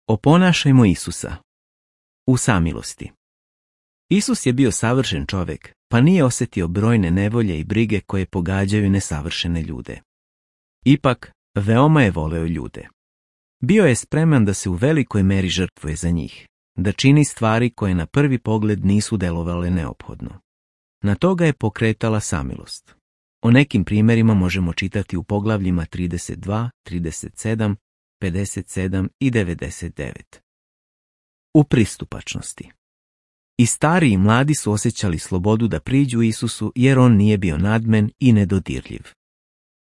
Oponašajmo Isusa. U samilosti. Isus je bio savršen čovjek, pa nije osjetio brojne nevolje i brige koje pogađaju nesavršene ljude. Ipak, veoma je voleo ljude. Bio je spreman da se u velikoj meri žrtvuje za njih, da čini stvari koje na prvi pogled nisu delovale neophodno. Na to ga je pokretala samilost. O nekim primjerima možemo čitati u poglavljima 32, 37, 57 i 99. U pristupačnosti. I stari i mladi su osjećali slobodu da priđu Isusu jer on nije bio nadmen i nedodirljiv.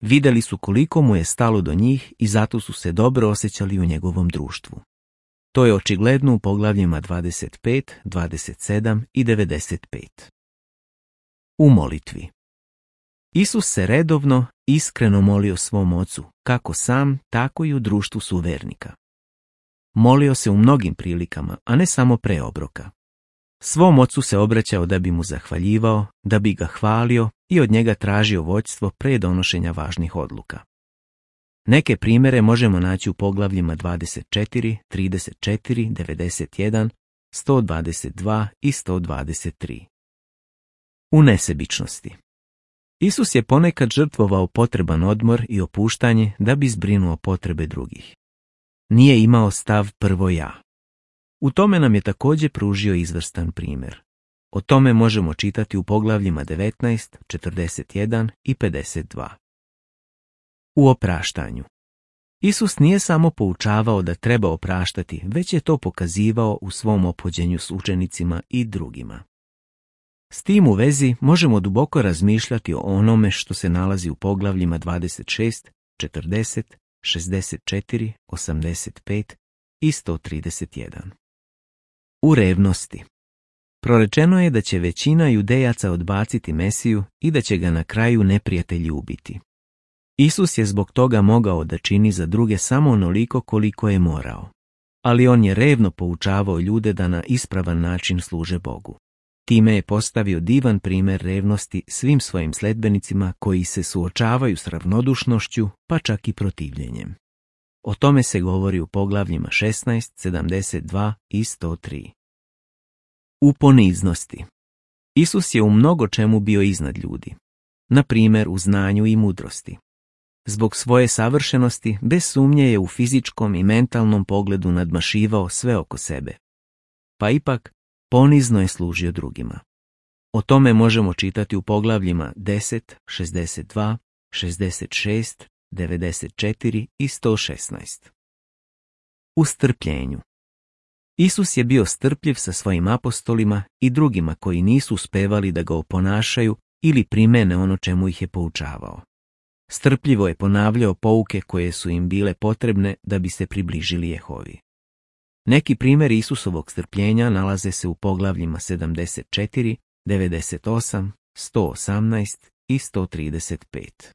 Vidjeli su koliko mu je stalo do njih i zato su se dobro osjećali u njegovom društvu. To je očigledno u poglavljima 25, 27 i 95. U molitvi. Isus se redovno, iskreno molio svom ocu, kako sam, tako i u društvu suvernika. Molio se u mnogim prilikama, a ne samo pre obroka. Svom ocu se obraćao da bi mu zahvaljivao, da bi ga hvalio i od njega tražio vođstvo pre donošenja važnih odluka. Neke primjere možemo naći u poglavljima 24, 34, 91, 122 i 123. U nesebičnosti. Isus je ponekad žrtvovao potreban odmor i opuštanje da bi zbrinuo potrebe drugih. Nije imao stav prvo ja. U tome nam je također pružio izvrstan primjer. O tome možemo čitati u poglavljima 19, 41 i 52. U opraštanju. Isus nije samo poučavao da treba opraštati, već je to pokazivao u svom ophođenju s učenicima i drugima. S tim u vezi možemo duboko razmišljati o onome što se nalazi u poglavljima 26, 40, 64, 85 i 131. U revnosti. Prorečeno je da će većina Judejaca odbaciti Mesiju i da će ga na kraju neprijatelji ubiti. Isus je zbog toga mogao da čini za druge samo onoliko koliko je morao, ali on je revno poučavao ljude da na ispravan način služe Bogu. Time je postavio divan primjer revnosti svim svojim sledbenicima koji se suočavaju s ravnodušnošću, pa čak i protivljenjem. O tome se govori u poglavljima 16, 72 i 103. U poniznosti. Isus je u mnogo čemu bio iznad ljudi, na primjer u znanju i mudrosti. Zbog svoje savršenosti, bez sumnje je u fizičkom i mentalnom pogledu nadmašivao sve oko sebe. Pa ipak, ponizno je služio drugima. O tome možemo čitati u poglavljima 10, 62, 66, 94 i 116. U strpljenju. Isus je bio strpljiv sa svojim apostolima i drugima koji nisu uspevali da ga oponašaju ili primene ono čemu ih je poučavao. Strpljivo je ponavljao pouke koje su im bile potrebne da bi se približili Jehovi. Neki primjeri Isusovog strpljenja nalaze se u poglavljima 74, 98, 118 i 135.